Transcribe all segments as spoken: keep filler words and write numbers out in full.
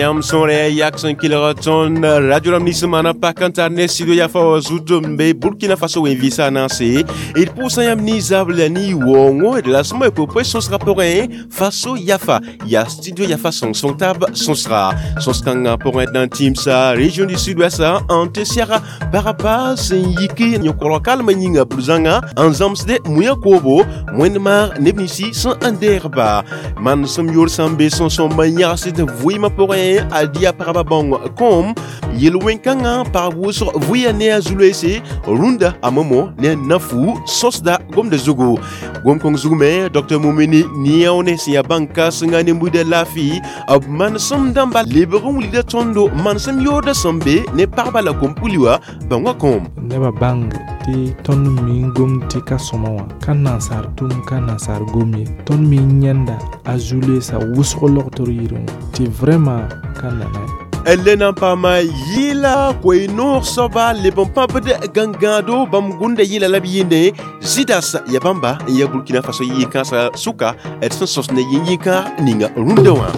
Yãmb sõre yak sẽn kelg tõnd radio rãmb nins n maana pak n tar ne studio yafa wã zut n be Burkina Faso wẽn-vɩɩsã naase d pʋʋsã yãmb ne zabl la ne waoongo d la sõma poe sõsgã pʋgẽ Faso yafa yaa studio yafa sõng-sõng taab sõsga sõs-kãngã pʋgẽ d na n tĩmsa région du sud-ouest n tɩ sɛga pagba sẽn yik yõ-kolg kalmã yĩnga bur-zãnga n zãmsde mũyã koobo wẽnd maag neb ninsi sẽn n deegba manesem yor sã n be sõn-sõmb n yãgsd vɩɩmã pʋgẽ a dia pagba bãong kõom yel-wẽn-kãngã pag wʋsg vʋɩa ne a zu-loeese rũndã a momo ne a nafu sõsda gomda zugu gom-kõng zug me Docteur Mumini Niaone sẽn yaa bãn-kãsenga ne buida laafɩ b manesem dãmba lebg n wilgda tõndo manesem yoorda sẽn be ne pagba la kom-puli wã bãongã kõom nebã bãng tɩ tõnd me n gomd tɩ ka sõma wã ka nansaar tʋm ka nansaar gom ye tõnd me n yãenda a zu-loeesã wʋsg logtr yirẽ wã tɩ vraiment ka nana le na n paama yɩɩla koe-noog soaba leb n pãbd gãngãado bãmb gũnda yɩla la b yɩɩnde Zidas ya bãmba n ya Burkina Faso yɩ-kãensã sʋka d sẽn sõs ne yĩn-yĩn-kãag ninga rũndã wã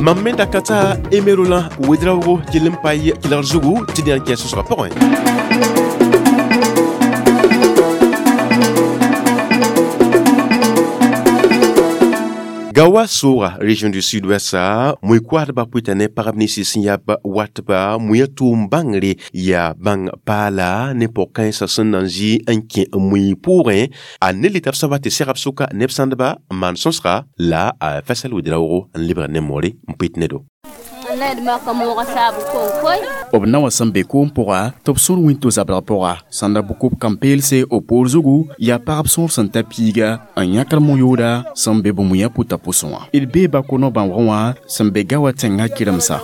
mam me da ka t'a Emerolã Wedraoogo kell n pa kelgr zugu tɩ d yãn kẽ sõsgã pʋgẽ Gawa sʋʋga région du sud-ouest mui-koaadbã pʋɩta ne pagb ninsi sẽn yaa watba mũyã tʋʋm bãngre yaa bãng paala ne pʋg-kãensã sẽn na n zĩ n kẽ mui pʋʋgẽ a ne leta b soaba tɩ segb sʋka neb sãndba n maan sõsga la a Fasal Wedraoogo n lebg ne moore n pʋɩt ne-do b na wã sẽn be koom pʋga tɩ b sõr wĩnto zabrg pʋga sãnda bʋk b kãn-peelse b poor zugu yaa pagb sõor sẽn ta piiga n yãkr mo-yooda sẽn be bũmb yã pʋta pʋsẽ wã d bee bako no-bãoogẽ wã sẽn be gawa tẽngã kɩremsa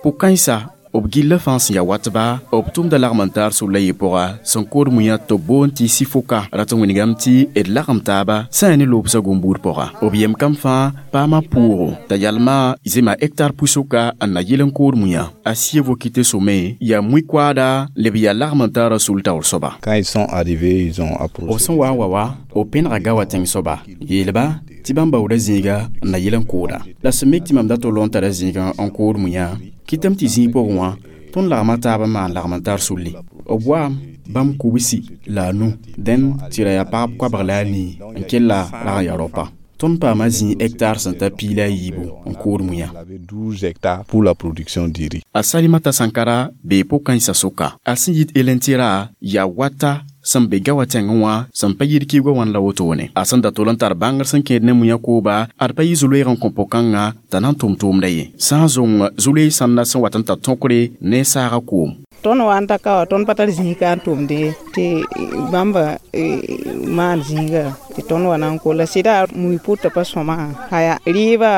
pʋg-kãensã b gilla fãa sẽn yaa watba b tʋmda lagm n taar solla yɩ pʋga sẽn kood mũyã tɩ b boond tɩ sifoka rat n wĩnigame tɩ d lagem taaba sã yaa ne loobsã gom-buud pʋga b yem kam fãa paama pʋʋgo t'a yalma zema hectar pʋsoka n na yɩl n kood mũyã a sievo kɩte some yaa mui-koaada leb yaa lagm n taara sul taoor soaba Quand ils sont arrivés, ils ont approché. b sẽn wa n wa wa b pẽnega gawa tẽng soaba yeelba tɩ bãmb baooda zĩiga n na yɩl n kooda la sẽn mik tɩ mam dat tol n tara zĩigã n kood mũyã kɩtame tɩ zĩig pʋgẽ wã tõnd lagma taab n maan lagm n tar sulli b waam bãmb kubsi la a nu dẽn tɩ ra yaa pagb koabg la a nii n kell rag n yaa raopa tõnd paama zĩig hectare sẽn ta piig la a yiibu n kood mũyã Il avait douze hectares pour la production du riz. A Salimata Sankara bee pʋg-kãensã sʋka a sẽn yit Elentira yaa wata sẽn be gawa tẽngẽ wã sẽn pa yid kiuga wãn la wotone a sẽn da tol n tar bãngr sẽn kẽed ne mũyã kooba ad pa yɩ zu-loeeg n kõ pʋg-kãngã t'a na n tʋm tʋʋmda ye sã n zõng zu-loees sãnda sẽn wat n ta tõkre ne saaga koom tõnd wa n ta ka wã tõnd pa tar zĩiga n tʋmde tɩ bãmba maan zĩiga tɩ tõnd wa na n kola sɩda mui pʋtã pa sõma aya rɩɩbã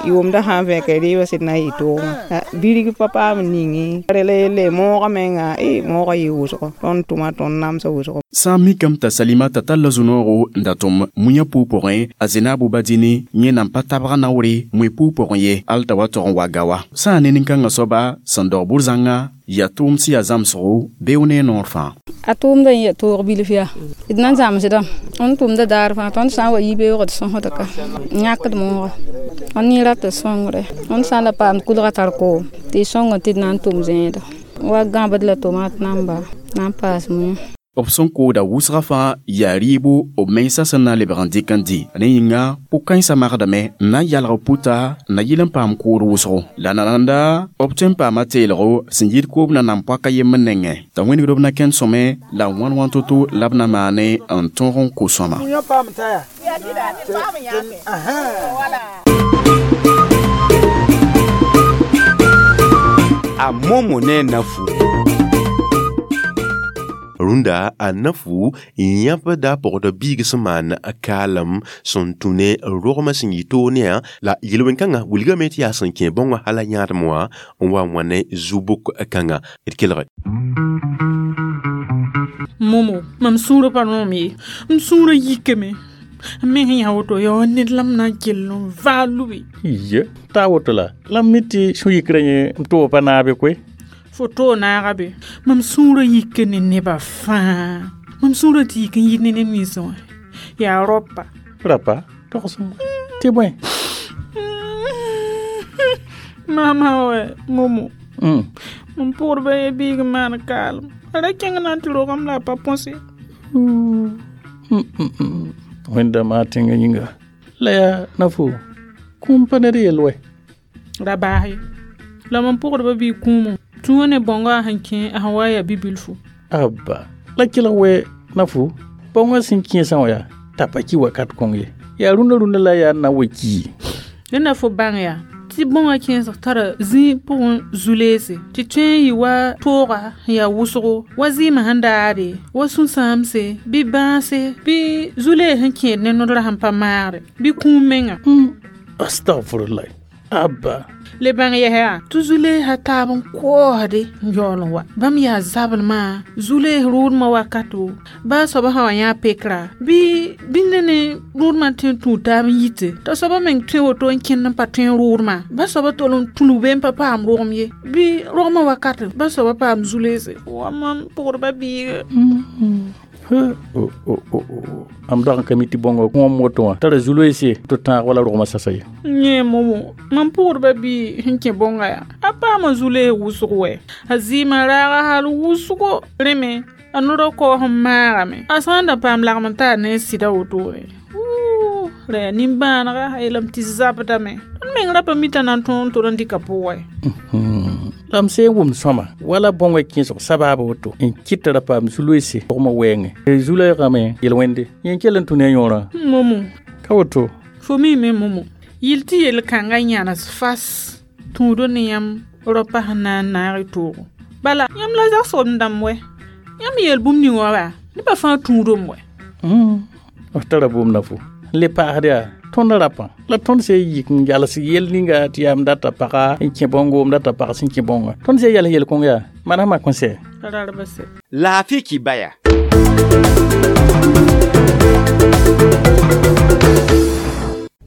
yʋʋmdã sã n vẽka rɩɩbã sɩd na n yɩ toogã birg pa paam n ninge rela yelle moogã menga moogã yɩ wʋsgo tõnd tʋma tõnd namsã wʋsgo sã n mikame t'a Salimata talla zu-noogo n da tʋm mũyã pʋʋg pʋgẽ a Zenaabo Badini yẽ nan pa tabg naoore mui pʋʋg pʋgẽ ye al t'a wa tog n wa gawa sã n ne nin-kãngã soaba sẽn daog bur-zãnga yaa tʋʋm sẽn yaa zãmsgo beoog ne a noor fãa a tʋʋmda n yaa toog bilf yaa d na n zãmsdame tõnd tʋmda daar fãa tõnd sã n wa yi beoogd sõsd ka n yãkd mooga tõnd yẽ rat sõngre tõnd sã n la paamd kulga tar koom tɩ y sõng tɩ d na n tʋm zẽeda wa gãbd la tomat namba na n paas mũyã b sẽn kooda wʋsgã fãa yaa rɩɩbo b mensã sẽn na n lebg n dɩk n dɩ ne yĩnga pʋg-kãensã magdame n na n yalg puta n na yɩl n paam kood wʋsgo la nananda b tõe n paama teelgo sẽn yit koob na nan poaka yembr nengẽ t'a wĩnigd b na kẽnd sõme la wãn wãn to-to la b na maane n tõog n kos sõma A momo ne nafu rũndã a nafu n yãbda pʋgd biig sẽn maan kaalem sẽn tũ ne rogmã sẽn yɩ toog ne la yel-wẽn-kãngã wilgame tɩ yaa sẽn kẽ bãongã hala yãadem wã n wa n wã ne zu-bʋk kãnga d kelge Momo mam sũurã pa rõom ye m sũurã yikame m meng yã woto yaa ned la m na n kell n vaa lubi ye t'a woto la la m mi tɩ sũ-yikrã yẽ m tʋʋg pa naabe koe fo toog naaga be mam sũurã yika ne nebã fãa mam sũurã tɩ yik n yit ne ned ninsẽ wã Yaa rapa. Rapa? Togsem. Tɩ bõe? Mama wɛ momo. Mm. Mam pʋgdba ye biig n maan kaalem. A ra kẽng na n tɩ rogame la a pa põse. Wẽnda maa tẽngã yĩnga. La yaa na-fo kũum pa ned yell wɛ. Ra baas ye. La mam pʋgdba biig kũumo. Tũuã ne bãongã sẽn kẽ a sẽn wa yaa bi-bilfu. Abba. La kelg wɛ na-fo bãongã sẽn kẽesã wã yaa t'a pa ki wakat kõng ye. Yaa rũndã rũndã la yaa n na n wa kii. Dẽnda na fo bãng yaa tɩ bõngã kẽesg tara zĩig pʋgẽ zu-leese tɩ tõe n yɩ wa tooga n yaa wʋsgo wa zɩɩmã sẽn daade wa sũ-sãamse bɩ bãase bɩ zu-lees sẽn kẽed ne nodrã sẽn pa maagre bɩ kũum menga. Astagfirullah. Abba. Le bãng yɛs yaa tɩ zu-leesã taab n koosde n yaool n wa bãmb yaa zablmã zu-lees rʋʋdmã wakato baa soaba sã wa yã pekra bɩ bĩnda ne rʋʋdmã tõe n tũud taab n yite t'a soaba meng tõe woto n kẽnd n pa tõe n rʋʋdmã ba soaba tol n tũlg be n pa paam rogem ye bɩ rogmã wakat ba soaba paam zu-leese wa mam pʋgdba biiga. Am dag n ka mi tɩ bõngo kõom woto wã tara zu-loeese tɩ tãag wala rogmã sasa ye. Yẽ momo mam pʋgdba bii sẽn kẽ bõnga yaa a paama zu-lees wʋsg wɛ a zɩɩmã raaga hal wʋsgo rẽ me a nodg kaoos n maagame a sã n da paam lagm n taa ne sɩda wotone ra yaa nimbãanega a yeelame tɩ zabdame tõnd meng ra pa mita na n tõog n tol n dɩka pʋgẽ. La m sẽn wʋmd sõma wala bõngã kẽesg sabaab woto n kɩt t'a ra paam zu-loeese rogmã wɛɛngẽ zu-loeegame yel-wẽnde yẽ kell n tũ ne a yõorã. Momo. Ka woto. Fo miime momo yɩl tɩ yel-kãngã yãnes fas tũudo ne yãmb rapa sẽn na n naag y toogo bala yãmb la zagsg dãmb wɛ yãmb yeel bũmb ning wã wa nebã fãa tũudame wɛ. B tara bũmb na fo n le paasd yaa tõnd rapã la tõnd sẽn yik n yals yell ninga tɩ yaa m data paga n kẽ bõngo m data pag sẽn kẽ bõnga tõnd sẽn yals yel-kõng yaa manas mak n sɛ. Rarba sɛ. Laafɩ kibaya.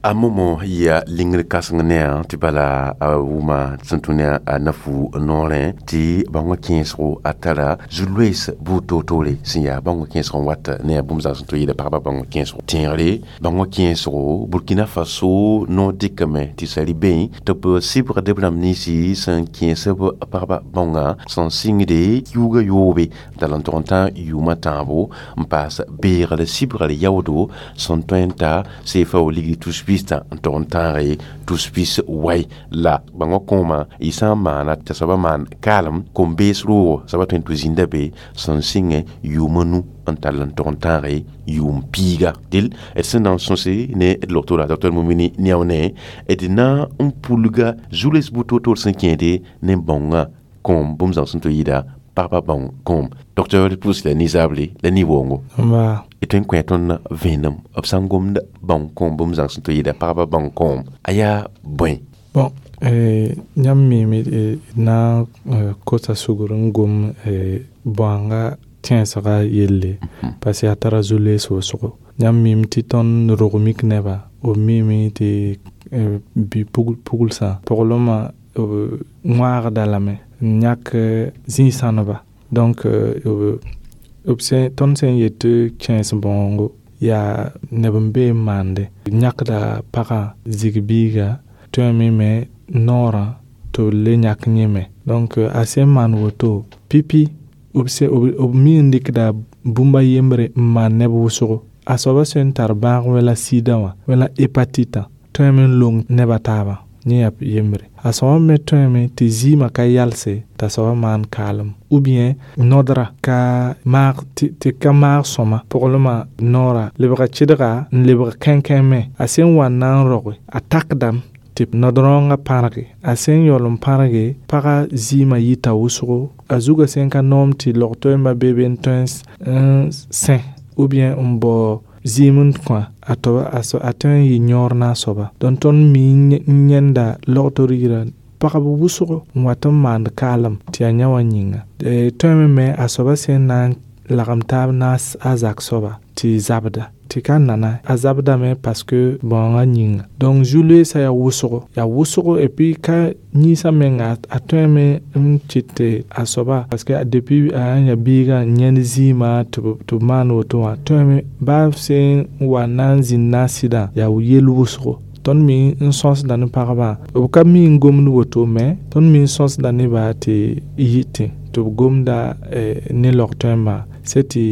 A momo ya lingr kãseng ne a tɩ bala a wʋma sẽn tũ ne a nafu noorẽ tɩ bãongã kẽesgo a tara zu-loees buud toor-toore sẽn yaa bãongã kẽesg n wat ne a bũmb zãng sẽn tʋ yɩɩda pagba bãongã kẽesgo tẽegre bãongã kẽesgo Burkina Faso noor dɩkame tɩ sari beẽ tɩ b sɩbgd b rãmb ninsi sẽn kẽes b pagba bãongã sẽn sɩngde kiuugã yoobe n tall n tog n tã yʋʋmã tãabo n paas beegr sɩbgr yaoodo sẽn tõe n ta seefa wa ligd tus pis n tog n tãage tus pis wai la bãongã kõoma y sã n maana t'a soaba maan kaalem kom-bees roogo soaba tõe n tɩ zĩnda be sẽn sɩngẽ yʋʋma nu n tall n tog n tãage yʋʋm piiga dɩl d sẽn na n sõse ne d logtora docteur Mumini Niaone d na n pulga zu-loees buud toor-toor sẽn kẽede ne bãongã kõom bũmb zãng sẽn tɩ yɩɩda pagba bãong kõom docteur pʋʋs la nizaable la ni-woongo d tõe n kõ tõnd vẽenem b sã n gomd bãong kõom bũmb zãng sẽn tɩ yɩɩda pagba bãong kõom a yaa bõe. Bon, yãmb miime d na n kosa sugr n gom bõanga tẽesga yelle parce que a tara zu-loees wʋsgo yãmb miime tɩ tõnd rog mik nebã b miime tɩ bɩ pugl-puglsã poglmã b wãagda lame n yãk zĩ-sãneba donc b sẽn tõnd sẽn yet tɩ kẽes bãoongo yaa neb n be n maande yãkda pagã zig biiga tõeme me noorã tɩ b le yãk yẽ me donc a sẽn maan woto pipi b b mi n dɩkda bũmb a yembre n maan neb wʋsgo a soaba sẽn tar bãag wala sida wã wala hépatite tõeme n long neb a taabã yẽ yaa yembre a soaba me tõeme tɩ zɩɩmã ka yalse t'a soaba maan kaalem ou bien nodra ka maag tɩ ka maag sõma poglmã noora lebga kɩdga n lebg kẽnkẽ me a sẽn wa n na n roge a takdame tɩ nod-rãongã pãrge a sẽn yaool n pãrge pagã zɩɩmã yita wʋsgo a zugã sẽn ka noom tɩ log-toɛɛmbã be be n tõe n sẽ ou bien n bao zɩɩm n kõ a toba a tõe n yɩ yõor na a soaba donc tõnd mi n yẽnda logtor yirã pagb wʋsgo n wat n maand kaalem tɩ yaa yã wã yĩnga tõeme me a soaba sẽn na n lagem taab na a zak soaba tɩ zabda tɩ ka nana a zabdame parce que bãongã yĩnga. Donc zu-loeesã yaa wʋsgo, yaa wʋsgo, et puis ka yĩnsã menga a tõeme n tɩ a soaba, parce que depuis a ya biigã n yãend zĩima tɩ b maan woto wã, tõeme baa sẽn wa na n zĩnd na n sɩdã, yaa yel wʋsgo. Tõnd me n sõsda ne pagba, b ka mi n gomd woto, me tõnd me n sõsda nebã tɩ yɩtẽ tɩ b gomda ne log-tõembã, sɛ tɩ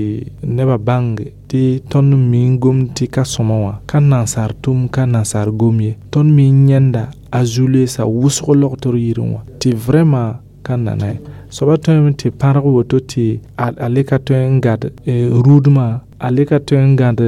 nebã bãnge tɩ tõnd me n gomd tɩ ka sõma wã ka nansaar tʋm, ka nansaar gom ye. Tõnd me n yãenda a zu-loeesã wʋsg logtr yirẽ wã tɩ vraiment ka nana ye. Soaba tõeme tɩ pãrg woto tɩ a le ka tõe n gad rʋʋdmã, a le ka tõe n gãd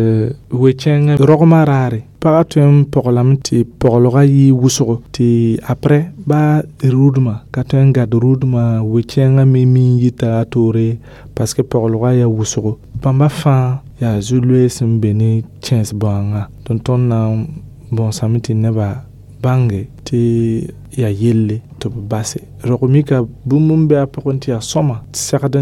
we-kẽngã rogmã raare. Pagã tõe n poglame tɩ poglgã yɩ wʋsgo, tɩ après baa rʋʋdmã ka tõe n gad rʋʋdmã, we-kẽngã me mi n yita a toore parce que poglgã yaa wʋsgo. Bãmba fãa yaa zu-loees n be ne kẽes bãongã. Tõnd tõnd na n bõosame tɩ nebã bãnge tɩ yaa yelle tɩ b base. Rog mika bũmb n be a pʋgẽ tɩ yaa sõma segd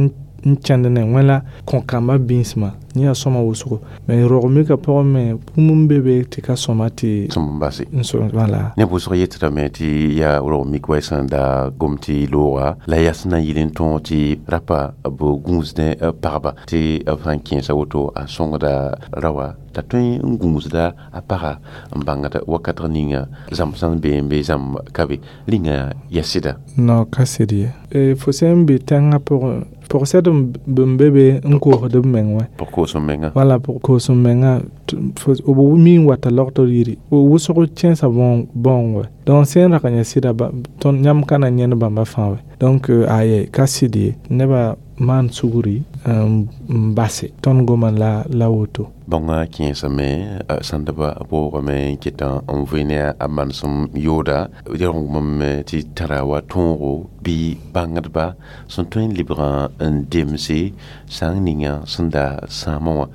n kẽnd ne wẽ la kõ-kambã bĩsmã, yẽ yaa sõma wʋsgo. Mais rog mika pʋgẽ me bũmb n be be tɩ ka sõma tɩ sõm n base. N sõm wala. Neb wʋsg yetdame tɩ yaa rog mik wa sẽn da gom tɩ looga la yaa sẽn na n yɩl n tõog tɩ rapa b gũusdẽ pagba, tɩ b sãn kẽesa woto a sõngda raoã t'a tõe n gũusda a paga n bãngd wakatg ninga zãmb sẽn be n be zãmb ka be rĩnga yaa sɩda. No, ka sɩd ye. Fo sẽn be tẽngã pʋgẽ, pʋg-sɛd n be be n koosd b meng wã. Pʋg koos m menga. Wala pʋg koos m menga, b mi n wata logtr yiri wʋsg kẽesa bãong wɛ. Donc sẽn rag n yaa sɩda, tõnd yãmb ka na n yãend bãmba fãa wɛ. Donc aye, ka sɩd ye. Nebã maan sugri n base, tõnd goma la la woto. Bãongã kẽesame sãndbã boogame n ket n vɩ ne a manesem yooda rõgmame tɩ tara wa tõogo bɩ bãngdba sẽn tõe n lebg n demse sã n ninga sẽn da sãamã wã.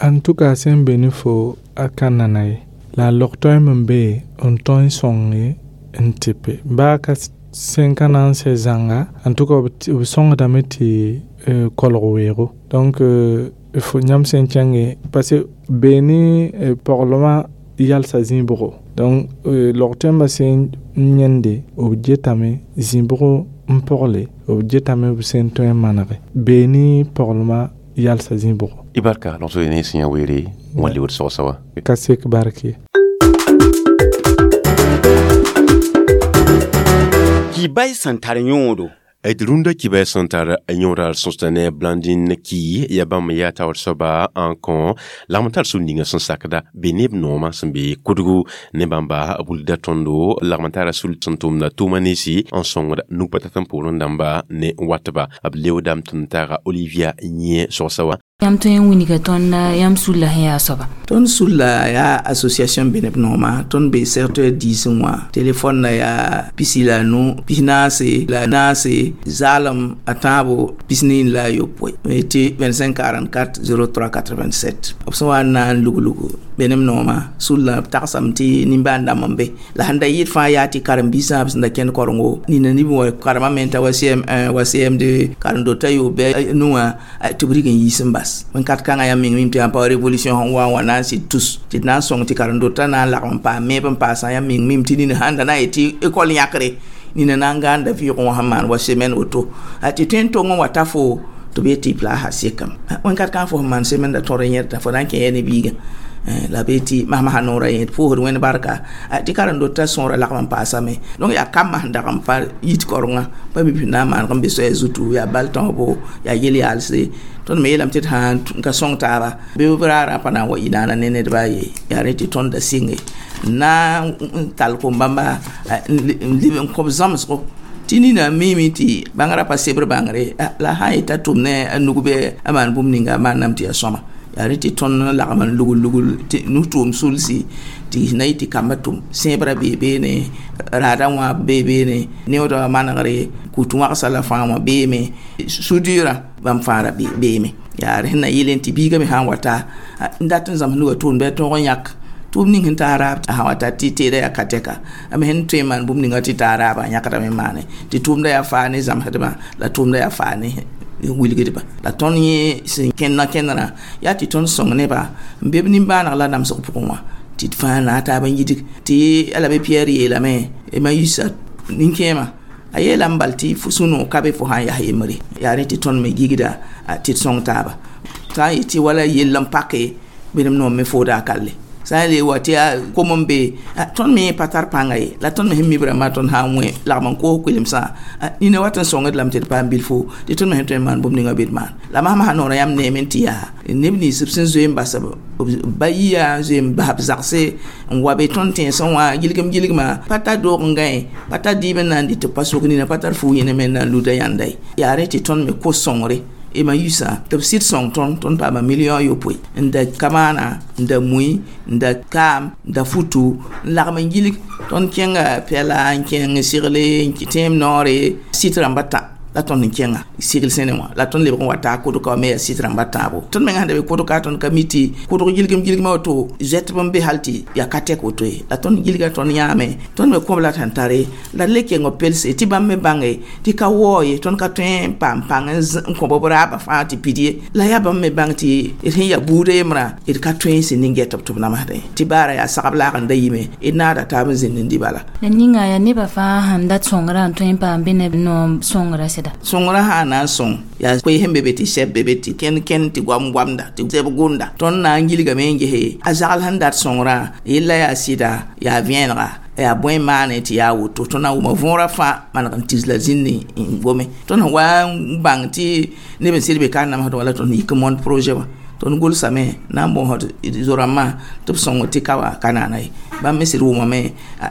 En tout cas sẽn be ne fo a ka nana ye, la log-toɛɛm n be n tõe n sõnge n tɩpe baa ka sẽn ka na n sɛ zãnga. En tout cas b sõngdame tɩ kolg weoogo. Donc fo yãmb sẽn kẽnge, parce que bee ne poglmã yalsa zĩ-bʋgo. Donc log-toɛɛmbã sẽn n yãende, b getame zĩ-bʋg n pogle, b getame b sẽn tõe n manege bee ne poglmã yalsa zĩ-bʋgo. Y barka logso ne sẽn yã weere wã lebd sogsa wã. Ka sek bark ye. Kibay sẽn tar yõodo. D rũndã kibay sẽn tar yõoda sõsda ne Blandine ki ya bãmb yaa taoor soaba n kõ lagm tar sũ ninga sẽn sakda be neb noomã sẽn be kudgu ne bãmba wilgda tõndo lagm tara sul sẽn tʋmda tʋʋma ninsi n sõngd nug-pa-tat n poorẽ dãmba ne watba. B leoodame tɩ n taaga Olivia yẽ sogsa wã. Yãmb tõe n wilga tõnd yãmb sulla sẽn yaa soaba? Tõnd sulla yaa association be neb noomã, tõnd be secteur diisẽ wã. Telefon na yaa pisi la nu, pis naase la naase, zaalem a tãabo pis-nii la a yopoe, tɩ vingt-cinq quarante-quatre zéro trois quatre-vingt-sept. B sẽn wa n na n luglugu be neb noomã sulla b tagsame tɩ nimbãan dãmb n be la sẽn da yɩɩd fãa yaa tɩ karen-biisã b sẽn da kẽnd korengo nina nib wã karemã me t'a wa C M un wa C M deux karen-dotã yob bɩ nu wã tɩ b rig n yiis n bas. Wẽn-kat kãngã yaa meng mim tɩ yaa pa révolution sẽn wa n wa na n sɩd tus tɩ d na n sõng tɩ karen-dotã na n lagm n paam meeb n paasã yaa meng mim tɩ nina sãn da na n yet tɩ école yãkre nina na n gãanda vɩʋʋgẽ wã sẽn maan wa semaine woto tɩ tõe n tong n wa ta fo tɩ b yet tɩ y plaasa sekame. Wẽn-kat kãng fo sẽn maan semaine da tõr n yẽdta fo na n kẽ ya ne biigã la be tɩ masmasã noorã yẽd pʋʋsd wẽnd barka tɩ karen-dotã sõora lagm n paasame. Donc yaa kambã sẽn dag n pa yit korengã pa mi na n maaneg n be soaya zutu yaa bal tõsbo yaa yel-yaalse. Tõnd me yeelame tɩ d sãn n ka sõng taaba bɩ b raarã pa na n wa yɩ naana ne nedba ye, yaa rẽ tɩ tõnd da sɩnge n na n tall kom-bãmba n leb n kõ b zãmsgo tɩ nina miime tɩ bãngrã pa sebr bãngre la sã n yeta tʋm ne a nug bɩ a maan bũmb ninga a maanname tɩ yaa sõma. Yaa rẽ tɩ tõnd lagm n lugl lugl tɩ nu-tʋʋm sulsi tɩ na yɩ tɩ kambã tʋm sẽebrã bee beene, raadã wã bee beene, neoodã manegre kut wãgsa la fãa wã beeme, sudurã bãmb fãa ra beeme. Yaa rẽ sẽn na yɩl tɩ biigã me sã n wata n dat n zãms nugã tʋʋm bɩ a tõog n yãk tʋʋm ning sẽn taa raab a sã wata tɩ teedã yaa ka-tɛka a me sẽn tõe n maan bũmb ninga tɩ taa raabã a yãkdame n maane tɩ tʋʋmdã yaa faa ne zãmsdbã la tʋʋmdã yaa faa ne wilgdba la tõnd yẽ sẽn kẽnd kẽndrã yaa tɩ tõnd sõng neba n be b nimbãaneg la namsg pʋgẽ wã tɩ d fãa na a taab n yidg tɩ Alabe Pierre yeelame ma yiisa nin-kẽemã a yeelame bal tɩ sũ-noog ka be fo sã n yaa yembre yaa rẽ tɩ tõnd me gigda tɩ d sõng taaba sã n yet tɩ wala yell n pake bẽnem noom me fooda a kalle sã n le wa tɩ yaa kom n be tõnd me pa tar pãnga ye la tõnd me sẽn mi b rãmbã tõnd sã n wẽ lagm n koos koelemsã nina wat n sõngd lame tɩ d paam bilfo tɩ tõnd me sẽn tõe n maan bũmb ninga bɩ d maan la masã noorã yãmb neeme tɩ yaa neb nins b sẽn zoe n bas b ba yia n zoe n bas b zagse n wa be tõnd tẽnsẽ wã gilgem gilgmã pa tar doog n gãe pa tar dɩɩb n na n dɩ tɩ b pa sok nina pa tar fuug yẽne me n na n luda yãnda ye yaa rẽ tɩ tõnd me kos sõngre ema yusa tɩ b sɩd sõng tõnd tõnd paama million yopoe n da kamaana n da mui n da kaam n da futu n lagm n gilg tõnd kẽnga pɛla n kẽng segle n tẽem noore sɩt rãmba tã la tõnd n kẽnga segl sẽne wã la tõnd lebg n wa taa kʋdka wã me yaa sɩt rãmba tãabo tõnd mengã sẽn da be kʋdka tõnd ka mi tɩ kʋdg gilgem gilgmã woto zoɛtb n be hal tɩ yaa ka tɛk woto ye la tõnd gilga tõnd yãame tõnd me kõb la sẽn tare la d le keng b pelse tɩ bãmb me bãnge tɩ ka waoo ye tõnd ka tõe n paam pãng n kõ b raabã fãa tɩ pid ye la yaa bãmb me bãng tɩ d sẽn yaa buudã yembrã d ka tõe n sẽn ning-gɛt b tɩ b namsdẽ tɩ baara yaa sagb laag n da yime d naada taab n zĩnd n dɩ bala la ninga yaa nebã fãa sẽn dat sõngrã n tõe n paam bɩ neb noom sõngrã sɩda sõngrã sã n na n sõng yaa koe sẽn be be tɩ sɛb be be tɩ kẽnd kẽnd tɩ goam goamda tɩ sɛb gʋnda tõnd na n gilgame n gese a zagl sẽn dat sõngrã yella yaa sɩda yaa vẽenega yaa bõe maane tɩ yaa woto tõnd na n wʋma võorã fãa maneg n tis la zĩnd n gome tõnd sẽn wa n bãng tɩ neb n sɩd be ka n namsd wã la tõnd yik n mõnd projet wã tõnd gʋlsame na n bõosd zo-rãmbã tɩ b sõng tɩ ka wã ka naana ye bãmb me sɩd wʋmame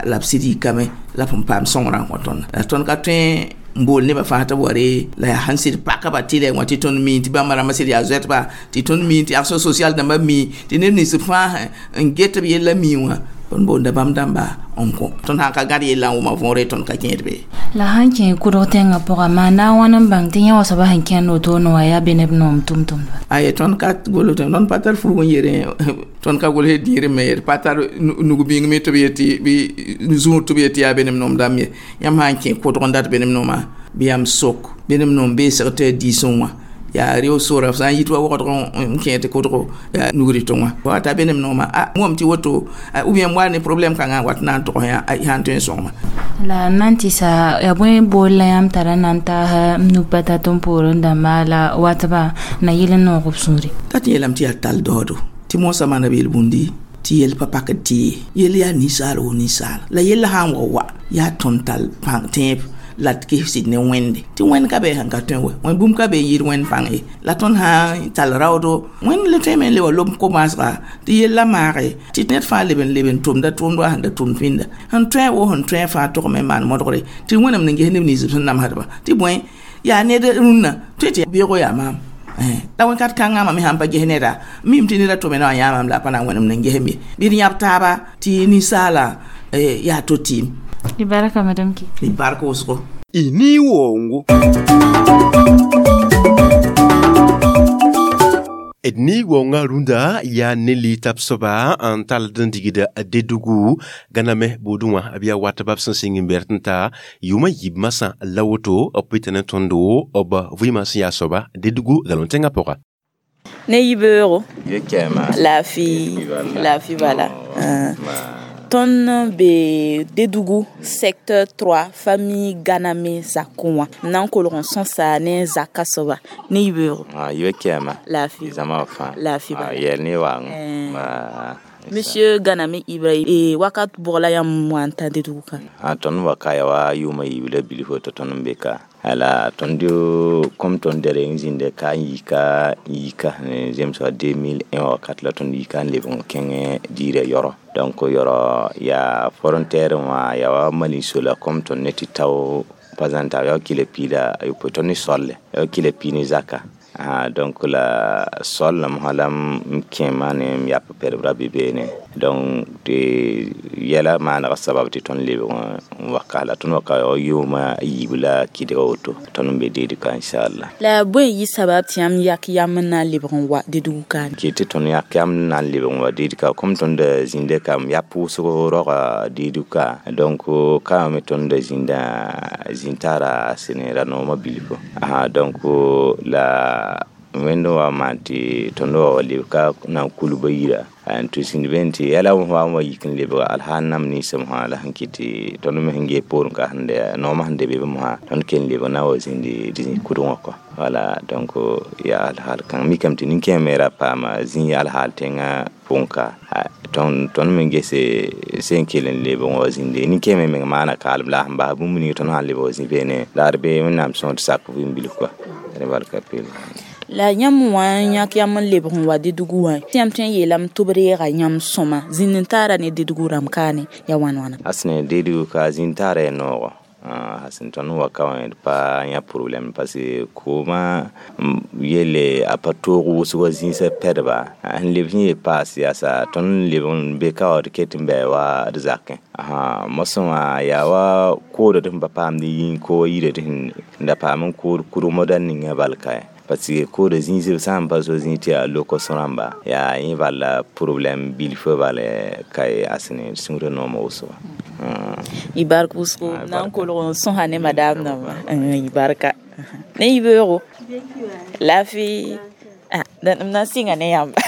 la b sɩd yikame la b sẽn paam sõngrã n kõ tõnd la tõnd ka tõe n bool nebã fãa tɩ b wa re la yaa sẽn sɩd paka ba tɩ wã tɩ tõnd mi tɩ bãmba rãmbã sɩd yaa zoɛtba tɩ tõnd mi tɩ action sociale dãmbã mi tɩ neb nins fãa n get b yella mi wã tõnd boonda bãmb dãmba n kõ tõnd sã n ka gãd yella n wʋma võore tõnd ka kẽed be la sãn kẽ kʋdg tẽngã pʋga maa na n wãn n bãng tɩ yẽ wã soaba sẽn kẽnd wotone wã yaa be neb noom tʋm-tʋmdba aye tõnd ka gol tõnd pa tar fuug n yere tõnd ka gol dĩir me d pa tar nug-bĩng me tɩ b yetɩ bɩ zũur tɩ b yetɩ yaa benem noom dãmb ye yãmb sã n kẽ kʋdg n dat benem noomã bɩ yãmb sok benem noom beesg tɩ yaa diisẽ wã yaa reo sora sã n yit wa wagdg n kẽ tɩ kʋdgo yaa nugri tʋ wã wa ta benem noomã a wõm tɩ woto ou bien wa ne problème kãngã wat na n tog yã sã n tõe n sõngma la n na n tɩ sa yaa bõe bool la yãmb tara na n taas nug pa tat n poorẽ dãmba la watba na yɩl n noog b sũure t'a tɩ yeelame tɩ yaa tall daoodo tɩ moosã maana b yel-bũndi tɩ yell pa pakd tɩ ye yell yaa ninsaal wo ninsaal la yella sã n wa wa yaa tõnd tall pãng tẽeb la d ges sɩd ne wẽnde tɩ wẽnd ka be sẽn ka tõe wɛ wẽnd bũmb ka be n yɩɩd wẽnd pãng ye la tõnd sã n tall raoodo wẽnd le tõeme n le wa lob ko-maasga tɩ yella maage tɩ ned fãa leb n leb n tʋmda tʋʋmd wa sẽn da tʋmd pĩnda sẽn tõe wo sẽn tõe fãa togame n maan modgre tɩ wẽnnaam n ges neb nins b sẽn namsdba tɩ bõe yaa ned rũnnã tõe tɩ beoogo yaa maam la wẽn-kat kãngã me sãn pa ges neda mim tɩ neda tʋme na wã yãamam la a pa na n wẽnem n gesem ye bɩ d yãb taaba tɩ ninsaala yaa to tɩɩm d barka madame ki d bark wʋsgo ini wongo d ni wonga rũndã yaa ne liitab soaba n tald n digda Dedugu gãname buudẽ wã b yaa watba b sẽn sɩng n bɛrt n ta yʋʋmã yiib masã la woto b pɩta ne tõndo b vɩɩmã sẽn yaa soaba Dedugu galon tẽngã pʋga ne yibeoogo laafɩ laafɩ bala tõnd be Dedugu secteur trois famille Ganame zakẽ wã n na n kolg n sõsa ne zaka soaba ne yibeoogo yibe kɛɛma laafɩ zãma fãa laafɩ bala yɛl ne waang Monsieur Ganame Ibrahim e wakat bʋg la yãmb wa n ta Dedugu ka a tõnd wa ka ya wa yʋʋmã yiib la bilfo tɩ tõnd n be ka ala tõnd kom tõnd dɛrɛ n zĩnda ka n yika n yika zemsga deux mille un wakat la tõnd yika n leb n kẽng diirã yɔrɔ donc yɔrɔ yaa frontière wã yaa wa Mali sola kom tõnd ne tɩ tao pa zãn yaa kila piida a yopoe tõnd ne solle yaa kila pii ne zaka Ah, donc la sol la mã la m kẽ maane m yap pɛdb ra be beene donc tɩ yɛla maanega sabab tɩ tõnd lebg n wa ka la tõnd wa ka yʋʋma a yiib la kɩdga woto tõnd n be deed ka inshallah. La bõe yɩ sabab tɩ yãmb yak yam n na n lebg n wa Dédougou kaane? Kɩ tɩ tõnd yak yam n na n lebg n wa Dédou ka kom tõnd da zĩnda ka m yap wʋsg roga Dédou ka donc ka me tõnd da zĩnda zĩn-taara sẽn ra noomã bilfu. Aha, donc la wẽnd wa maan tɩ tõnd wa wa leb ka na n kulba yira n tɩ sĩnd be tɩ yɛla wa n wa yik n lebga alhaal nam ninsem sã la sẽn kɩt tɩ tõnd me sẽn gee poorẽ ka sẽn noomã sẽn de be mosã tõnd ken lebg na wa zĩndi zĩ kudg wã kɔ wala donc yaa alhaal kãng mikame tɩ nin-kẽem me ra paama zĩ alhaal tẽngã pʋgẽ ka tõnd tõnd me gese sẽn kell n lebg n wa zĩnde nin-kẽem me meng maana kaalem la a sẽn bas bũmb ning tõnd sã n lebg wa zĩ beene la d be Wẽnnaam sõor tɩ sak vɩɩm bilf kɔa rẽ barka peel. La yãmb wã n yãk yãmb n lebg n wa Dédougou wã tɩ yãmb tõe n yeelame tɩ b reega yãmb sõma zĩnd n taara ne Dédougou rãmb kaane ya wãn wãna? Asne Dédougou ka zĩnd taara ya noogo sẽn tõnd wa ka wã d pa yã problème parce que koomã yelle a pa toog wʋsgã zĩisã pɛdba sẽn leb sẽn yeel paas yaasa tõnd leb n be ka wã d ket n bɩ wa d zakẽ. Aha, mosẽ wã yaa wa koodã tɩ sẽn pa paamd yĩng ko yirã tɩ sẽn da paam n kood kurmã da ninga bal ka parce que koodã zĩis b sã n pa so zĩig tɩ yaa lokos rãmba yaa yẽ bala problème bilfã bala ka asne sũurã noomã wʋsgo. Y bark wʋsgo na n kolg n sõsa ne madame namba y barka ne y beoogo laafɩ m na n sɩnga ne yãmba.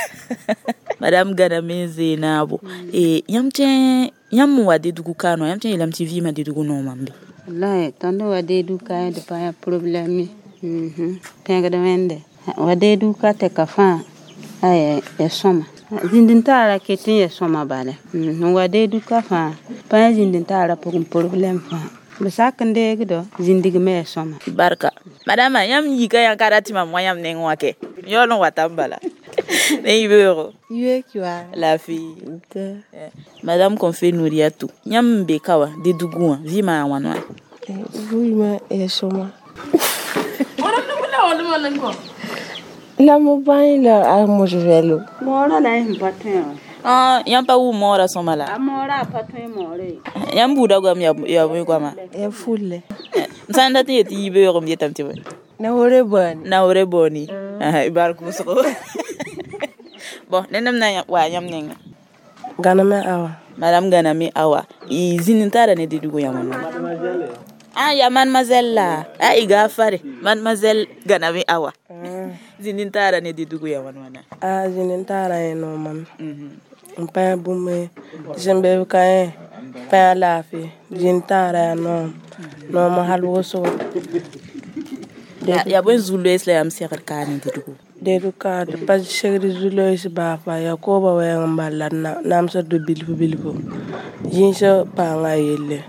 Madame Ganame Zenabo yãmb tõe yãmb n wa Dédougou kaane wã yãmb tõe n yeelame tɩ vɩɩmã Dédougou noomã n be? Wallahi tõnd wa Dédougou ka d pa yã problème tẽgd wẽnde wa Dédougou ka tɩ ka fãa a ya sõma zĩnd n taara ket n ya sõma bala n wa Dédougou ka fãa pa yã zĩnd n taara pʋgẽ problème fãa b sak n deegdo zĩndigmẽ ya sõma. Barka madama yãmb yika yã ka ra tɩ mam wã yãmb neng wã kɛ yaool n watame bala ne y beoogo laafɩ. Madame Konfé Nouriatou yãmb n be ka wã Dédougou wã vɩɩmã yaa wãn wãna? Vɩɩmã ya sõma. La mo bãe la a mos vɛlo. Moorã la y sẽn pa tõe wã. Ah, yãmb pa wʋm moorã sõma la? A moorã a pa tõe moore. Yãmb buudã goam yaa bõe goama? Ya fulle. M sã n dat n yet tɩ yɩ beoog m yetame tɩ bõe? Naoore booni. Naoore booni. Y bark wʋsgo. Bon, ned m na wa yãmb nengã. Ganame Awa. Madame Ganame Awa. Y zĩnd n taara ne Dédougou yãmb wã. Ah, ya mademoiselle la. Ah, i gafare. Mademoiselle Ganame Awa. Zĩnd n taara ne Dédougou ya wãn wãna? Ah, zĩnd n taara yẽ noomame. N pa yã bũmb sẽn be b ka yẽ pa yã laafɩ zĩnd taara yaa noom noom hal wʋsgo. Yaa bõe zu-loees la yãmb segd kaane Dédougou? Dédougou ka d pa segd zu-loees baa fa yaa koobã wɛɛng n bal la d namsd d bilfu bilfu zĩisã paanga yelle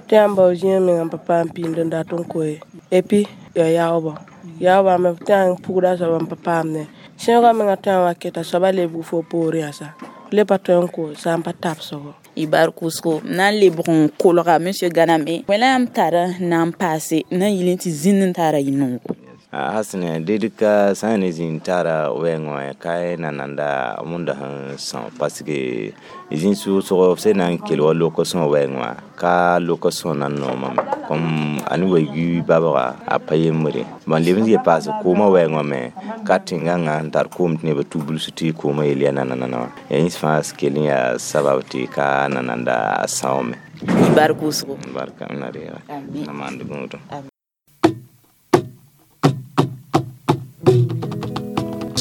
tɩ yãmb bao zĩig meng n pa paam pĩnd n dat n koe epi ya yaoobã yaoobã me tɩ yã pugda soab n pa paamdẽ sẽegã mengã tõe n wa keta soabã lebg fo poorẽ yãsa le pa tõe n ko sã n pa tabsgo. Y bark wʋsgo na n lebg n kolga monsieur Ganame wẽ la yãmb tar n na n paase n na n yɩl tɩ zĩnd n taara yɩ noogo? Hasne Dédougou ka sã n ne zĩnd taara wɛɛngẽ wã ka na nanda mõnda sẽn sõo parce que zĩig sʋʋsgo sẽn na n kell wa lokosõ wɛɛngẽ wã ka lokosõ na n noomame comme a ne wa yui babga a pa yembre bõn leb n yel paas koomã wɛɛngẽ wã me ka tẽngãngã n tar koom tɩ neb tu bilsi tɩ koomã yel yaa nanana wã ya yẽ fãa kell n yaa sabab tɩ ka nananda a sãoome. Y bark wʋsgo. Barka m na reega na maand gũudum.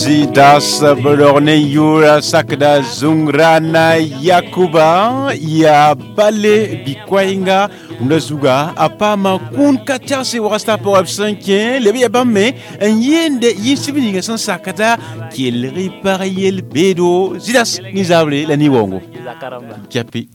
Zidas Bolorne Yura Sakda Zungrana Yakuba ya Bale Bikwainga Ndazuga apama kun kachase wasta pour absenke lebe ya bamme yende yisibini san sakata kelri parayel bedo Zidas nizable la niwongo Japi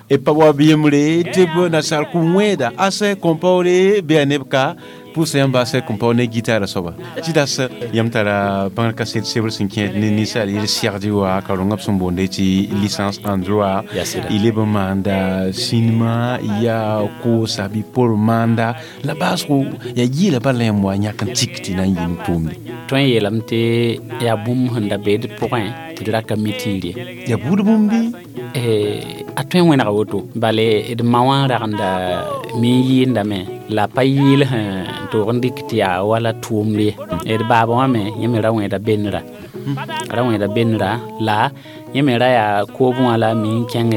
e pa wa biyemre tebo na sal kumweda ase compaore be anebka Pʋʋsa yãmb baasɛ kõn pao ne gitaara soaba tɩ das yãmb tara bãngr kaset sebr sẽn kẽed ne ninsaal yel segd wa ka rõnga b sẽn boonde tɩ licence en droit y leb n maanda sĩnema yaa koosa bɩ por maanda la baasgo yaa yɩɩla bala yãmb wa yãk n tik tɩ na n yɩ ne tʋʋmde. Tõe n yeelame tɩ yaa bũmb sẽn da beed pʋgẽ tɩ d ra ka mi tɩɩr ye. Yaa buud bũmb bɩ? A tõe n wẽnega woto bale d ma wã ragenda mi n yɩɩndame la pa yɩɩl sẽn toog n dɩk tɩ yaa wala tʋʋmd ye. D baaba wã me yẽ me ra wẽeda bennra ra wẽeda bennra la yẽ me ra yaa koobẽ wã la mi n kẽng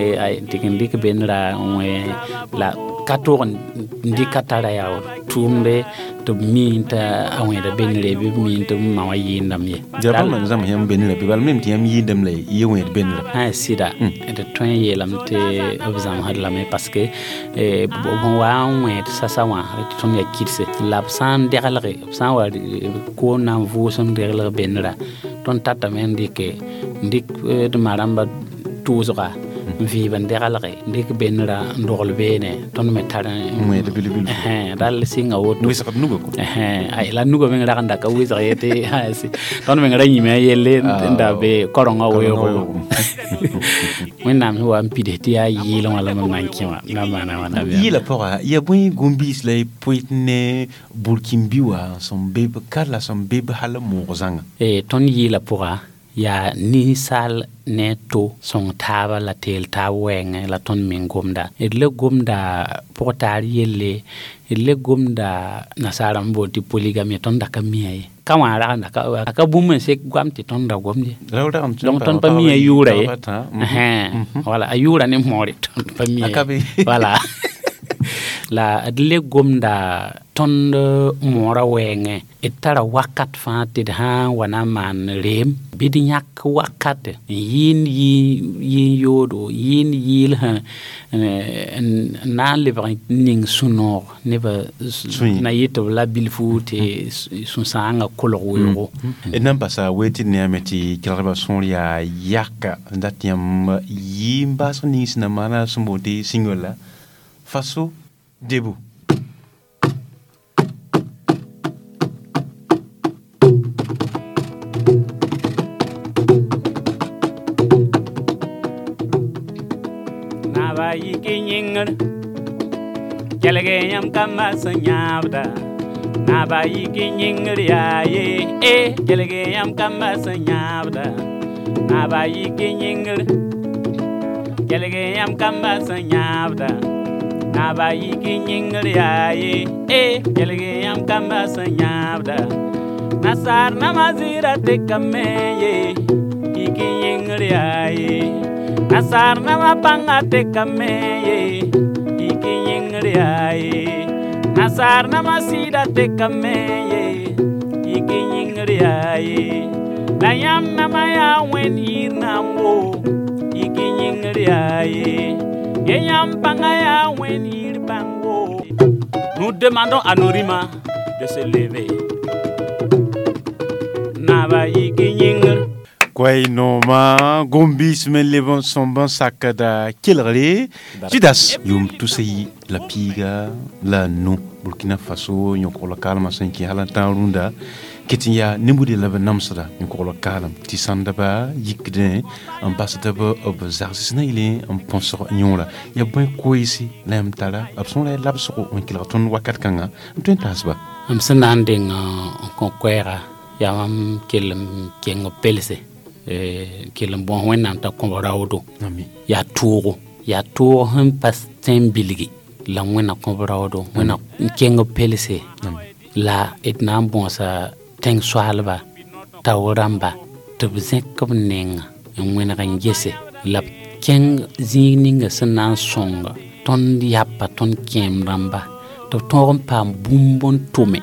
tɩ n dɩk bennra n wẽ la ka toog n dɩk a tara yaa tʋʋmde tɩ b mi t'a a wẽeda bennre bɩ b mi tɩ b ma wã yɩɩndame ye. Yaa bãmb n zãms yãmb bennra bɩ bala mem tɩ yãmb yɩɩndame la y wẽed bennra? Sɩda d tõe n yeelame tɩ b zãmsd lame parce que b sẽn wa n wẽed sasa wã tɩ tõnd yaa kidse la b sã n deglge b sã n wa koom na n vʋʋsem deglg bennra tõnd tatame n dɩke n dɩk d ma rãmba tʋʋsga n vɩɩb n deglge n dɩk bennra n dogl beene tõnd me tar wẽed bilbil rall sɩnga woto wɩsgd nugã kɔ la nugã meng ragenda ka wɩsg ye tɩ tõnd meng ra yĩme a yelle n da be karengã weoogo wẽnnaam sẽn wa n pids tɩ yaa yɩɩl wã la mam na n kẽ wã na n maana wãna. Yɩɩla pʋga yaa bõe gũm-biis la y poet ne burkĩn-bi wã sẽn be b ka la sẽn be b hal n moog zãnga? Tõnd yɩɩla pʋga yaa ninsaal ne to sõng taaba la teel taab wɛɛngẽ la tõnd meng gomda d le gomda pʋgtaar yelle d le gomda nasaarã n boond tɩ polygame tõnd da ka mia ye ka wã ragenda a ka bũmb n sek goam tɩ tõnd da gomd ye donc tõnd pa mi a yʋʋra ye wala a yʋʋra ne moore tõnd pa mi wala la d le gomda tõnd moorã wɛɛngẽ d tara wakat fãa tɩ d sã n wa na n maan reem bɩ d yãk wakat n yɩɩnd yɩɩn yoodo yɩɩnd yɩɩl sẽn n na n lebg n ning sũ-noog nebã na yɩ tɩ b la bilfu tɩ sũ-sãangã kolg weoogo. D na n basa wee tɩ d neame tɩ kelgdbã sõor yaa yaka n dat yãmb yɩ n baasg ning sẽn na maana sẽn boond tɩ single la Faso debout. Naba yiki yĩngr kelg yãmb kambã sẽn yãabda Naba yiki yĩngr yaa ye e kelg yãmb kambã sẽn yãabda Naba yiki yĩngr kelg yãmb kambã sẽn yãabda Naba yiki yĩngr yaa ye e kelg yãmb kambã sẽn yãabda Nasaar nãmã zɩɩda tekame ye yiki yĩngr yaa ye Nasaar nãmã pãngã tekame ye yiki yĩngr yaa ye Nasaar nãmã sɩɩda tekame ye yiki yĩngr yaa ye La yãmb nãmã yaa wẽnd yɩɩr nambo yiki yĩngr yaa ye Ye yãmb pãngã yaa wẽnd yɩɩr bãngo. Nous demandons à nos rimas de se lever. Naba yiki yĩngr Koay nooma gom-biis me leb n sõmb n sakda kelgre Judas yʋʋm tusa yi la piiga la nu Burkina Faso yõkogl kaalmã sẽn kẽ hal n tãag rũndã ket n yaa ne-bude la b namsda yõkogl kaalem tɩ sãndba yikdẽ n basda b b zags na yɩle n põsg yõora yaa bõe koeese la yãmb tara b sõora yaa labsgo n kelg tõnd wakat kãnga n tõe n taasba. M sẽn na n deng n kõ koɛɛga yaa mam kell n keng b pelse kell n bõs wẽnnaam t'a kõb raoodo yaa toogo yaa toog sẽn pa tẽn bilgi la wẽnna kõb raoodo wẽnna n keng b pelse la d na n bõosa tẽng soaalba tao rãmba tɩ b zẽk b nenga n wẽneg n gese la b kẽng zĩig ninga sẽn na n sõnga tõnd yapa tõnd kẽem rãmba tɩ b tõog n paam bũmb n tʋme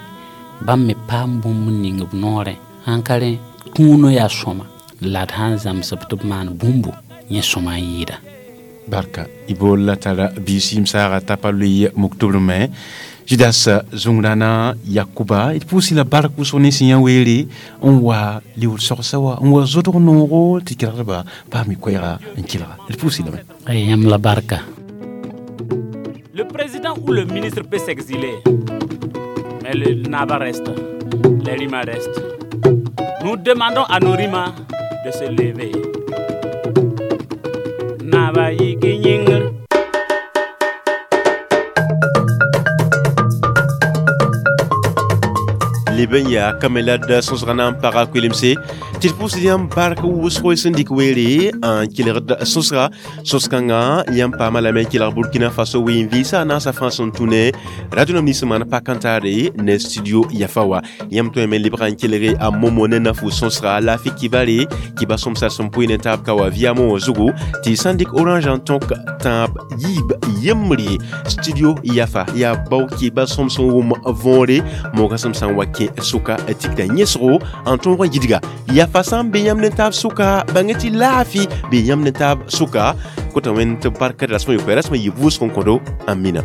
bãmb me paam bũmb n ning b noorẽ sãn ka rẽ kũunã yaa sõma la d sãn zãmsb tɩ b maan bũmbu yẽ sõma n yɩɩda. Barka y bool la tara biisim saaga t'a pa loe moktobr me Judas zũngrãna Yakuba d pʋʋsɩ la bark wʋsg ne sẽn yã weere n wa liuud sogsa wa n wa zodg noogo tɩ kelgdbã paam y koɛɛga n kelga d pʋʋsɩ lame. Yãmb la barka. Le président ou le ministre peut s'exiler, Mais le Naba reste, les Rima restent. Nous demandons à nos Rima de se lever. Naba yiki yĩngr. Leb n yaa kamelad sõsga na n paga koelemse tɩ d pʋʋsd yãmb bark wʋsgo sẽn dɩk weere n kelgd sõsga sõs-kãngã yãmb paama lame n kelg Burkina Faso ween-vɩɩsã a naasã fãa sẽn tũ ne radio nam nins maan pak n taare ne studio Yafa wa yãmb tõe me lebga n kelge a momo ne nafu sõsga laafɩ kibare kiba sõmsa sẽn pʋɩ ne taab ka wa viamo wã zugu tɩ sã n dɩk orange n tõk tãab yiib yembre studio Yafa yaa bao kiba sõm sẽn wʋm võore moogã sẽm sã n wa kẽ sʋka tikda yẽsgo n tõog n yidga Yafa sã n be yãmb ne taab sʋka bãng tɩ laafɩ be yãmb ne taab sʋka kota wẽnd tɩ barka rasmã yopoe rasmã yɩ vʋʋsg n kõdo amina.